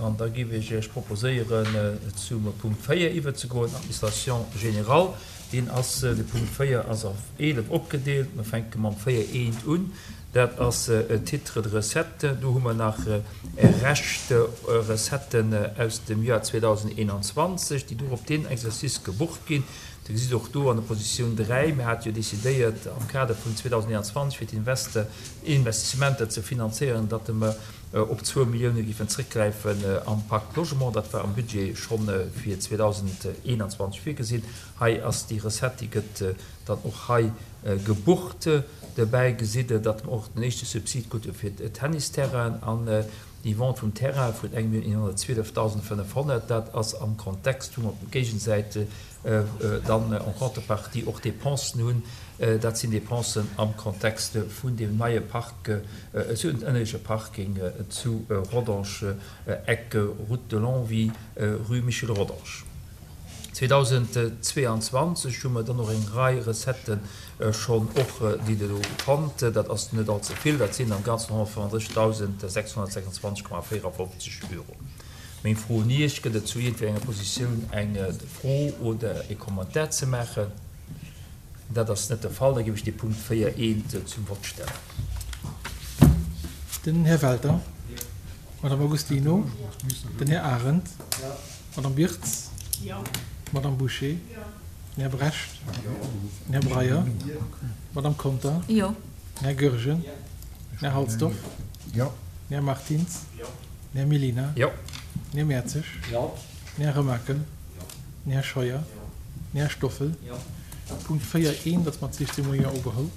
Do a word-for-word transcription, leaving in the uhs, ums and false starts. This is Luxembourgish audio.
An da géif ech Iech proposéieren, zum Punkt véier iwwerzegoen, Administration générale. Deen ass, de Punkt véier ass a eelef opgedeelt. Mir fänke mam véier eent un. Dat ass Titre de recettes. Do hu mer nach Rescht Recetten aus dem Joer zweedausendeenanzwanzeg, déi do op deen Exercice gebucht ginn. Dir gesitt och do an der Positioun dräi, mir hate jo decidéiert am Kader vun zweedausendeenanzwanzeg fir d'Investissementer ze finanzéieren, datt mer op zwou Millioune géifen zréckgräifen am Pacte Logement. Dat war am Budget scho fir zweedausendeenanzwanzeg virgesinn. Hei ass déi Recette, déi gëtt dann och hei gebucht. Dobäi gesitt Der, datt mer och den éischte Subsid krute fir d'Tennisterrainen an déi Vente vum Terrain vun eng Millioun eenhonnertzwielefdausendfënnefhonnert. Dat ass am Kontext, wou mer op der Géigesäit dann en contrepartie och Dépensen hunn. Dat sinn Dépensen am Kontext vun deem neie Park, ënnerleche Parking zu Rodange, Eck Route de Longwy, Rue Michel Rodange. zweedausendzweeanzwanzeg hu mer dann och eng Rei Recettë schonn och, déi Der do fannt. Dat ass net allze vill, dat sinn am Ganzen honnertfënnenddrëssegdausend sechshonnertsechsundzwanzeg Komma véierafofzeg Euro. Meng Fro un Iech, Gëtt et zu iergendwéi enger Positioun eng Fro oder e Commentaire ze maachen? Dat ass net de Fall. Da géif ech dee Punkt véier eent zum Vott stellen. Den Här Welter, d'Madame Agostino, den Här Arendt, d'Madame Birtz, d'Madame Bouché, den Här Brecht, den Här Breyer, d'Madame Conter, den Här Goergen, den Här Halsdorf, den Här Martins, den Här Mellina, den Här Mertzig, den Här Remakel, den Här Scheuer, den Här Stoffel. Punkt véier eent ass mat siechzehn Moien ugeholl.